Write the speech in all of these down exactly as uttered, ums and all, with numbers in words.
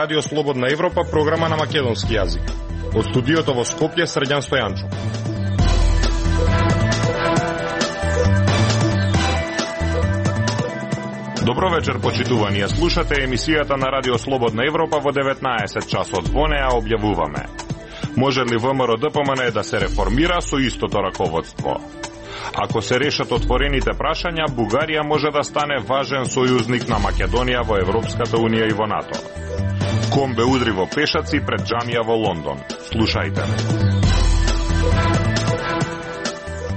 Радио Слободна Европа, програма на македонски јазик. Од студиото во Скопје, Срđan Стојанчов. Добро вечер, почитувани. Ја слушате емисијата на Радио Слободна Европа во деветнаесет часот. Во неа објавуваме: може ли ВМРО-ДПМН да се реформира со истото раководство? Ако се решат отворените прашања, Бугарија може да стане важен сојузник на Македонија во Европската Унија и во НАТО. Комбе удри во пешаци пред џамија во Лондон. Слушајте.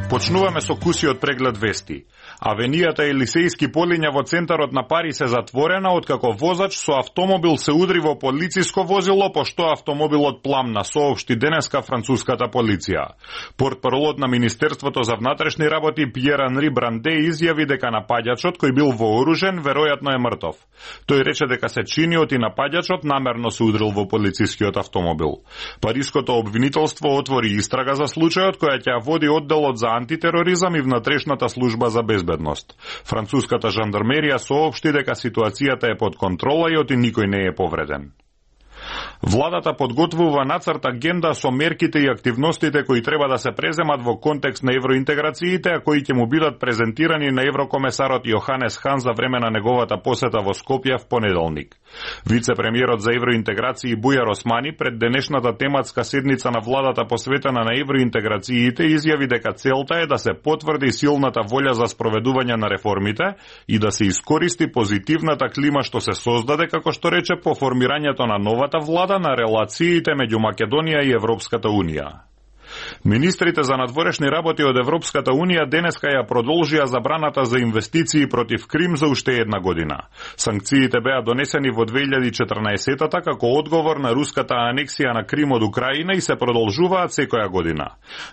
Почнуваме со кусиот преглед вести. Авенијата Елисејски полиња во центарот на Париз е затворена откако возач со автомобил се удри во полициско возило, пошто автомобилот пламна, соопшти денеска француската полиција. Портпаролот на Министерството за внатрешни работи Пиер Анри Бранде изјави дека напаѓачот, кој бил вооружен, веројатно е мртов. Тој рече дека се чиниот и напаѓачот намерно се удрил во полицискиот автомобил. Париското обвинителство отвори истрага за случајот, која ќе води одделот за антитероризам и внатрешната служба за безбедност. Француската жандармерија соопшти дека ситуацијата е под контрола и оти никој не е повреден. Владата подготвува нацрт агенда со мерките и активностите кои треба да се преземат во контекст на евроинтеграциите, а кои ќе му бидат презентирани на еврокомесарот Јоханес Хан за време на неговата посета во Скопје в понеделник. Вице-премиерот за евроинтеграции Бујар Османи пред денешната тематска седница на владата посветена на евроинтеграциите изјави дека целта е да се потврди силната волја за спроведување на реформите и да се искористи позитивната клима што се создаде, како што рече, по формирањето на новата влада на релациите меѓу Македонија и Европската Унија. Министрите за надворешни работи од Европската Унија денеска ја продолжија забраната за инвестиции против Крим за уште една година. Санкциите беа донесени во две илјади и четрнаесетта како одговор на руската анексија на Крим од Украина и се продолжуваат секоја година.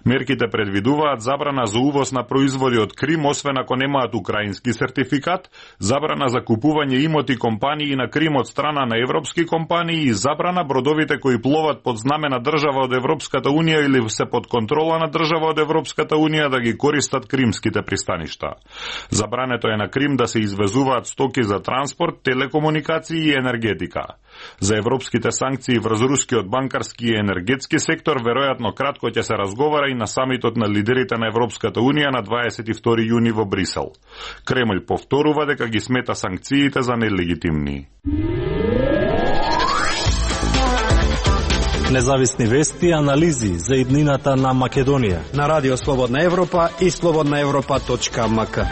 Мерките предвидуваат забрана за увоз на производи од Крим, освен ако немаат украински сертификат, забрана за купување имоти компании на Крим од страна на европски компании и забрана бродовите кои пловат под знаме на држава од Европската Унија или се под контрола на држава од Европската Унија да ги користат кримските пристаништа. Забрането е на Крим да се извезуваат стоки за транспорт, телекомуникации и енергетика. За европските санкции врз рускиот банкарски и енергетски сектор веројатно кратко ќе се разговара и на самитот на лидерите на Европската Унија на дваесет и втори јуни во Брисел. Кремљ повторува дека ги смета санкциите за нелегитимни. Независни вести и анализи за иднината на Македонија на Радио Слободна Европа и слободна европа точка ем ка.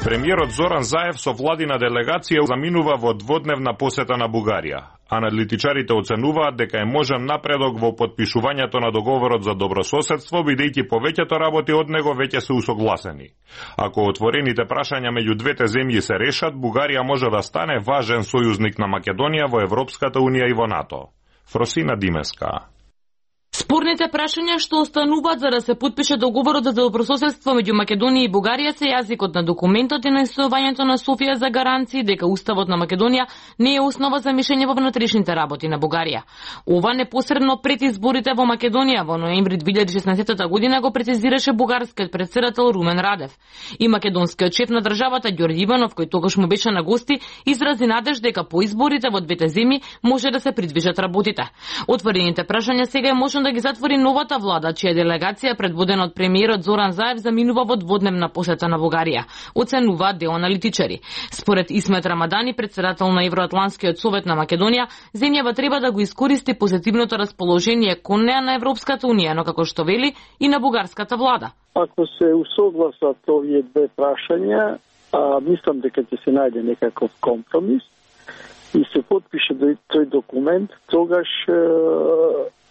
Премиерот Зоран Заев со владина делегација заминува во дводневна посета на Бугарија. Аналитичарите оценуваат дека е можен напредок во подпишувањето на договорот за добрососедство, бидејќи повеќето работи од него веќе се усогласени. Ако отворените прашања меѓу двете земји се решат, Бугарија може да стане важен сојузник на Македонија во Европската Унија и во НАТО. Фросина Димеска. Спорните прашања што остануваат за да се подпише договорот за добрососедство меѓу Македонија и Бугарија се јазикот на документот и најстојувањето на Софија за гаранции дека Уставот на Македонија не е основа за мишење во внатрешните работи на Бугарија. Ова непосредно пред изборите во Македонија во ноември две илјади и шеснаесетта година го прецизираше бугарскиот претседател Румен Радев. И македонскиот шеф на државата Ѓорѓе Иванов, кој тогаш му беше на гости, изрази надеж дека по изборите во двете земји може да се придвижат работите. Отворените прашања сега е можно да ги затвори новата влада, чија делегација предводена од премиерот Зоран Заев заминува во дводневна посета на Бугарија, оценуваат дел аналитичари. Според Исмет Рамадани, председател на Евроатланскиот совет на Македонија, земјава треба да го искористи позитивното расположение кон неа на Европската Унија, но како што вели и на бугарската влада. Ако се усогласат овие две прашања, а, мислам дека ќе се најде некаков компромис и се подпише тој документ, тогаш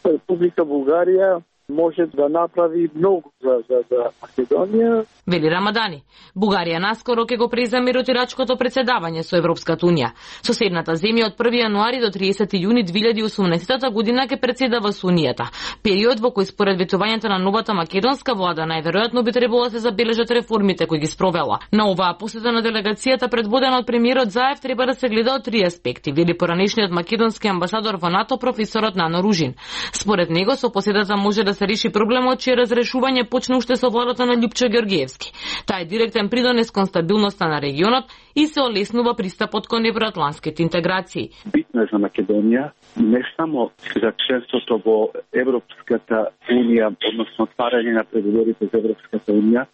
Република Бугарија може да направи многу за, за, за Македонија. Вели Рамадани. Бугарија наскоро ќе го преземе ротирачкото председавање со Европската Унија. Соседната земја од први јануари до триесети јуни две илјади и осумнаесетта година ќе председава со Унијата. Период во кој според ветувањето на новата македонска влада најверојатно би требало да се забележат реформите кои ги спровела. На оваа посета на делегацијата предводена од премиерот Заев треба да се гледа од три аспекти, вели поранешниот македонски амбасадор во НАТО професорот Нано Ружин. Според него со посетата може да да се реши проблемот, чие разрешување почна уште со владата на Љупчо Ѓоргиевски. Таа е директен придонес кон стабилноста на регионот и се олеснува пристапот кон евроатланските интеграции. Битно е за Македонија не само за членството во Европската унија, односно отварање на преговорите за Европската унија,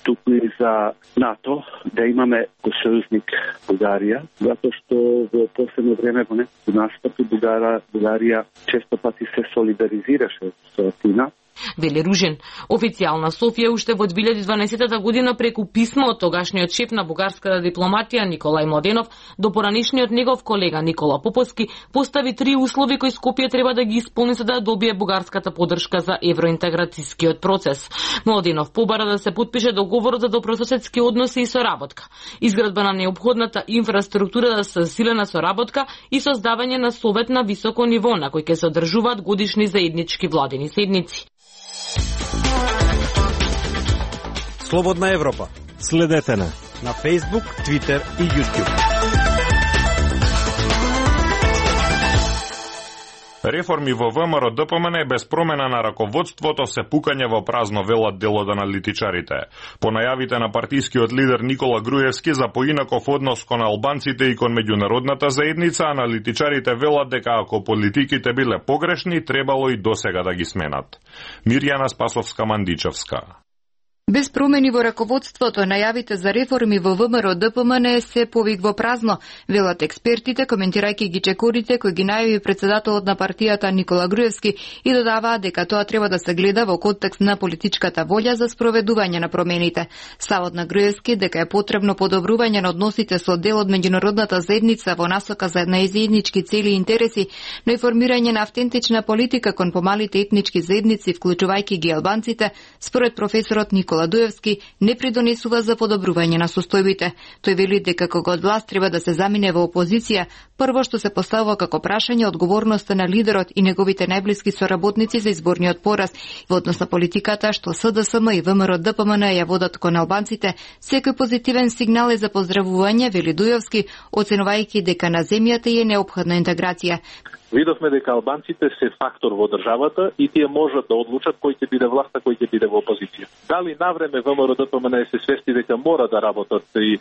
туку и за НАТО, да имаме го сојузник Бугарија, затоа што во последно време во некои настапи Бугарија, Бугарија често пати се солидаризираше со Атина. Вели Ружин. Официјална Софија уште во две илјади и дванаесетта година преку писмо од тогашниот шеф на бугарската дипломатија Николај Младенов до поранишниот негов колега Никола Поповски постави три услови кои Скопје треба да ги исполни за да добие бугарската поддршка за евроинтеграцијскиот процес. Младенов побара да се потпише договорот за добрососедски односи и соработка, изградба на неопходната инфраструктура за засилена соработка и создавање на совет на високо ниво на кој ќе се одржуваат годишни заеднички владени седници. Слободна Европа. Следете на на Facebook, Twitter и YouTube. Реформи во ВМРО Д П М Н без промена на раководството се пукање во празно, велат дел од аналитичарите. По најавите на партискиот лидер Никола Груевски за поинаков однос кон албанците и кон меѓународната заедница, аналитичарите велат дека ако политиките биле погрешни, требало и досега да ги сменат. Мирјана Спасовска-Мандичевска. Без промени во раководството, најавите за реформи во ВМРО Д П М Н се повик во празно, велат експертите, коментирајќи ги чекорите кои ги најави председателот на партијата Никола Груевски и додаваат дека тоа треба да се гледа во контекст на политичката волја за спроведување на промените. Ставот на Груевски дека е потребно подобрување на односите со дел од меѓународната заедница во насока за најзаеднички цели и интереси, но и формирање на автентична политика кон помалите етнички заедници, вклучувајќи ги албанците, според професорот Никола Дуевски, не придонесува за подобрување на состојбите. Тој вели дека кога од власт треба да се замине во опозиција, прво што се поставува како прашање одговорноста на лидерот и неговите најблиски соработници за изборниот пораз во однос на политиката што С Д С М и ВМРО Д П М Н ја водат кон албанците. Секој позитивен сигнал е за поздравување, вели Дуевски, оценувајќи дека на земјата е неопходна интеграција. Видовме дека албанците се фактор во државата и тие можат да одлучат кој ќе биде власта, кој ќе биде во опозиција. Дали навреме ВМРО Д П М Н се свести дека мора да работат и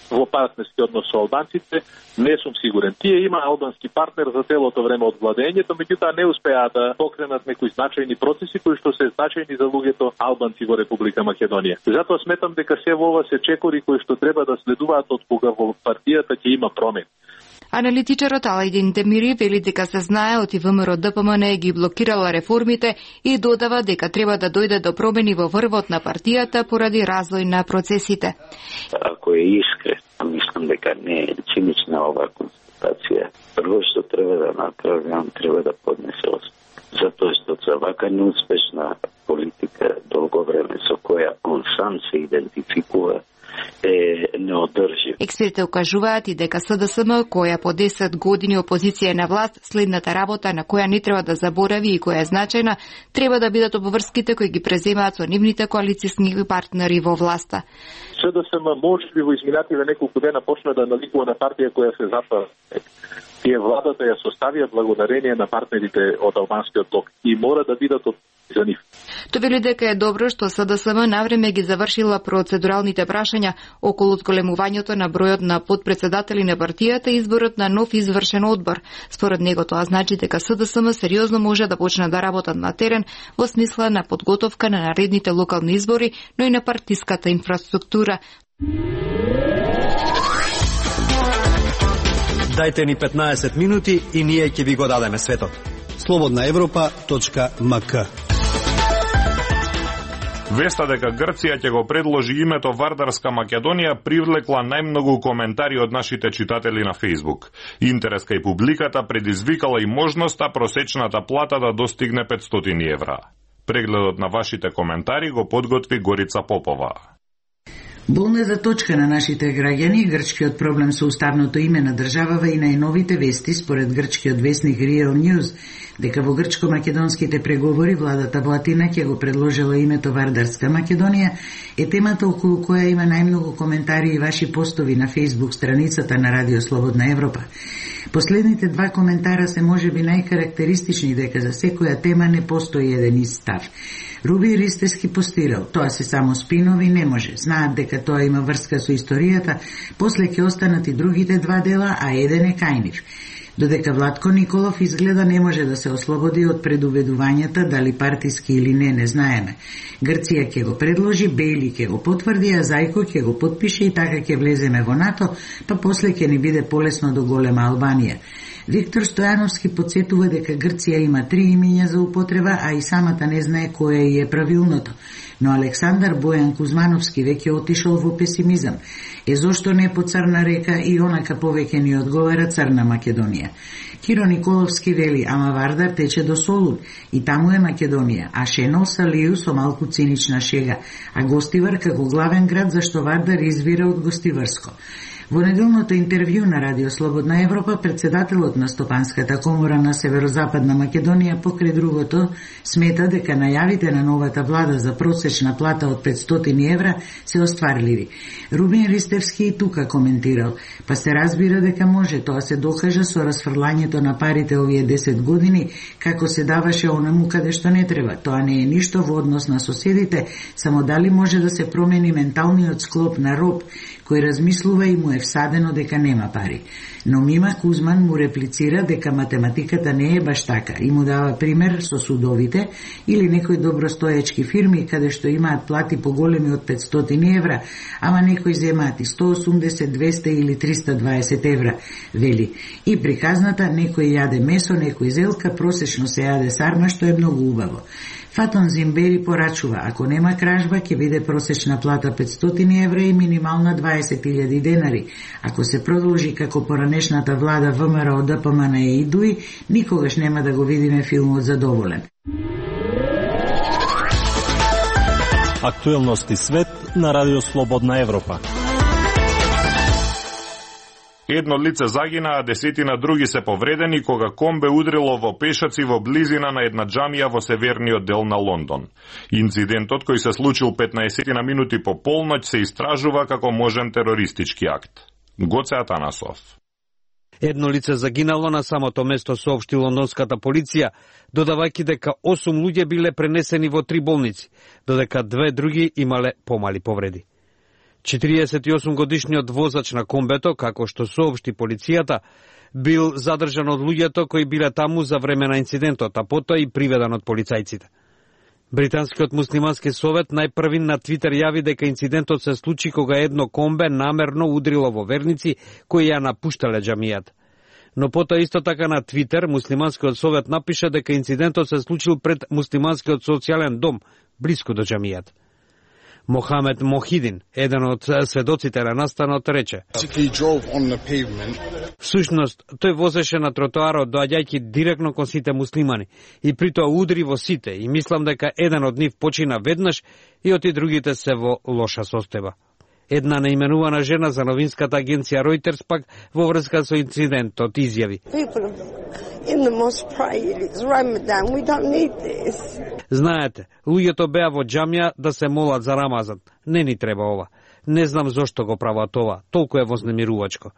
во партнерски однос со албанците, не сум сигурен. Тие има албански партнер за целото време од владењето, меѓутоа не успеа да покренат некои значајни процеси кои што се значајни за луѓето албанци во Република Македонија. Затоа сметам дека се во ова се чекори кои што треба да следуваат од кога во партијата ќе има промени. Аналитичарот Алајдин Демири вели дека се знае од ВМРО Д П М Н ги блокирала реформите и додава дека треба да дојде до промени во врвот на партијата поради развој на процесите. Ако е искрен, мислам дека не е цинична оваа констатација. Прво што треба да направи, он треба да поднесе оставка. Затоа што за вака неуспешна политика долго време со која он сам се идентификува е неодржив. Експертите укажуваат и дека С Д С М, која по десет години опозиција на власт, следната работа на која не треба да заборави и која е значајна, треба да бидат обврските кои ги преземаат со нивните коалицијски партнери во власта. С Д С М може би во изминативе неколку дена почна да наликува на партија која се затвара. Тие владата ја составија благодарение на партнерите од албанскиот блок и мора да бидат од за нив. Тој вели дека е добро што С Д С М навреме ги завршила процедуралните прашања околу зголемувањето на бројот на подпредседатели на партијата и изборот на нов извршен одбор. Според него тоа значи дека С Д С М сериозно може да почне да работат на терен во смисла на подготовка на наредните локални избори, но и на партиската инфраструктура. Дајте ни петнаесет минути и ние ќе ви го дадеме светот. слободна европа точка м к. Веста дека Грција ќе го предложи името Вардарска Македонија привлекла најмногу коментари од нашите читатели на Facebook. Интерес кај публиката предизвикала и можноста просечната плата да достигне петстотини евра. Прегледот на вашите коментари го подготви Горица Попова. Болна за точка на нашите граѓани, грчкиот проблем со уставното име на државава и најновите вести според грчкиот вестник Real News, дека во грчко-македонските преговори владата во Атина ќе го предложила името Вардарска Македонија, е темата околу која има најмногу коментари и ваши постови на Facebook страницата на Радио Слободна Европа. Последните два коментара се можеби најкарактеристични дека за секоја тема не постои еден ист став. Руби Ристевски постирал, тоа се само спинови, не може. Знаат дека тоа има врска со историјата, после ќе останат и другите два дела, а еден е кај нив. Додека Владко Николов изгледа не може да се ослободи од предуведувањата дали партиски или не, не знаеме. Грција ќе го предложи, Бейли ќе го потврди, а Зајко ќе го потпише и така ќе влеземе во НАТО, па после ќе ни биде полесно до голема Албанија. Виктор Стојановски подсетува дека Грција има три имиња за употреба, а и самата не знае кое е правилното. Но Александар Бојан Кузмановски веќе отишол во песимизам. Е зошто не по Црна река и онака повеќе ни одговара Црна Македонија. Киро Николовски вели, ама Вардар тече до Солун и таму е Македонија, а Шенол Салију со малку цинична шега, а Гостивар како главен град зашто Вардар извира од Гостиварско. Во неделното интервју на Радио Слободна Европа, председателот на Стопанската комора на Северозападна Македонија покрај другото смета дека најавите на новата влада за просечна плата од петстотини евра се остварливи. Рубин Ристевски и тука коментирал, па се разбира дека може, тоа се докажа со расфрлањето на парите овие десет години, како се даваше онаму каде што не треба. Тоа не е ништо во однос на соседите, само дали може да се промени менталниот склоп на роб, кој размислува и му е всадено дека нема пари. Но Мима Кузман му реплицира дека математиката не е баш така и му дава пример со судовите или некои добростоечки фирми каде што имаат плати поголеми од петстотини евра, ама некои земаат и сто осумдесет, двесте или триста дваесет евра, вели. И приказната некој јаде месо, некој зелка, просечно се јаде сарма, што е многу убаво. Фатон Зимбери порачува, ако нема кражба, ќе биде просечна плата петстотини евра и минимална дваесет илјади денари. Ако се продолжи како поранешната влада ВМРО, ДПМН и ИДУИ, никогаш нема да го видиме филмот Задоволен. Актуелности свет на Радио Слободна Европа. Едно лице загина, а десетина други се повредени кога комбе удрило во пешаци во близина на една џамија во северниот дел на Лондон. Инцидентот, кој се случил петнаесет минути по полноќ, се истражува како можен терористички акт. Гоце Атанасов. Едно лице загинало на самото место, соопшти лондонската полиција, додавајќи дека осум луѓе биле пренесени во три болници, додека две други имале помали повреди. четириесет и осум годишниот возач на комбето, како што соопшти полицијата, бил задржан од луѓето кои биле таму за време на инцидентот, а потоа и приведен од полицајците. Британскиот муслимански совет најпрви на Твитер јави дека инцидентот се случи кога едно комбе намерно удрило во верници кои ја напуштале џамијата. Но потоа исто така на Твитер муслиманскиот совет напиша дека инцидентот се случил пред муслиманскиот социјален дом, блиску до џамијата. Мохамед Мохидин, еден од сведоците на настанот, рече: всушност, тој возеше на тротоарот доаѓајќи директно кон сите муслимани и притоа удри во сите и мислам дека еден од нив почина веднаш и оти другите се во лоша состојба. Една наименувана жена за новинската агенција Reuters пак во врска со инцидентот изјави: знаете, луѓето беа во џамија да се молат за Рамазан. Не ни треба ова. Не знам зошто го прават ова. Толку е вознемирувачко.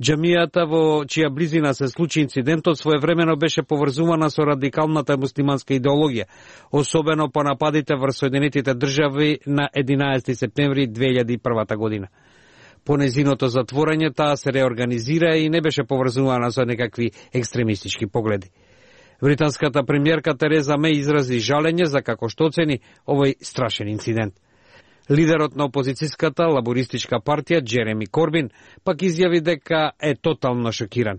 Џамијата во чија близина се случи инцидентот своевремено беше поврзувана со радикалната муслиманска идеологија, особено по нападите врз Соединетите држави на единаесети септември две илјади и прва година. По незиното затворање таа се реорганизира и не беше поврзувана со некакви екстремистички погледи. Британската премиерка Тереза Меј изрази жалење за како што оцени овој страшен инцидент. Лидерот на опозицијската лабористичка партија Джереми Корбин пак изјави дека е тотално шокиран.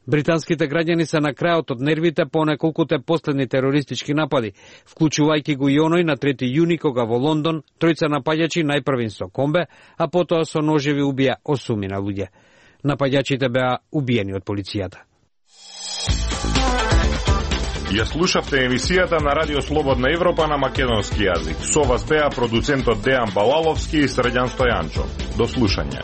Британските граѓани се на крајот од нервите по неколкуте последни терористички напади, вклучувајќи го и оној на трети јуни кога во Лондон тројца напаѓачи најпрвин со комбе, а потоа со ножеви убија осумина луѓе. Напаѓачите беа убиени од полицијата. Ја слушавте емисијата на Радио Слободна Европа на македонски јазик. Со вас беа продуцентот Дејан Балаловски и Срđan Стојанчов. До слушање.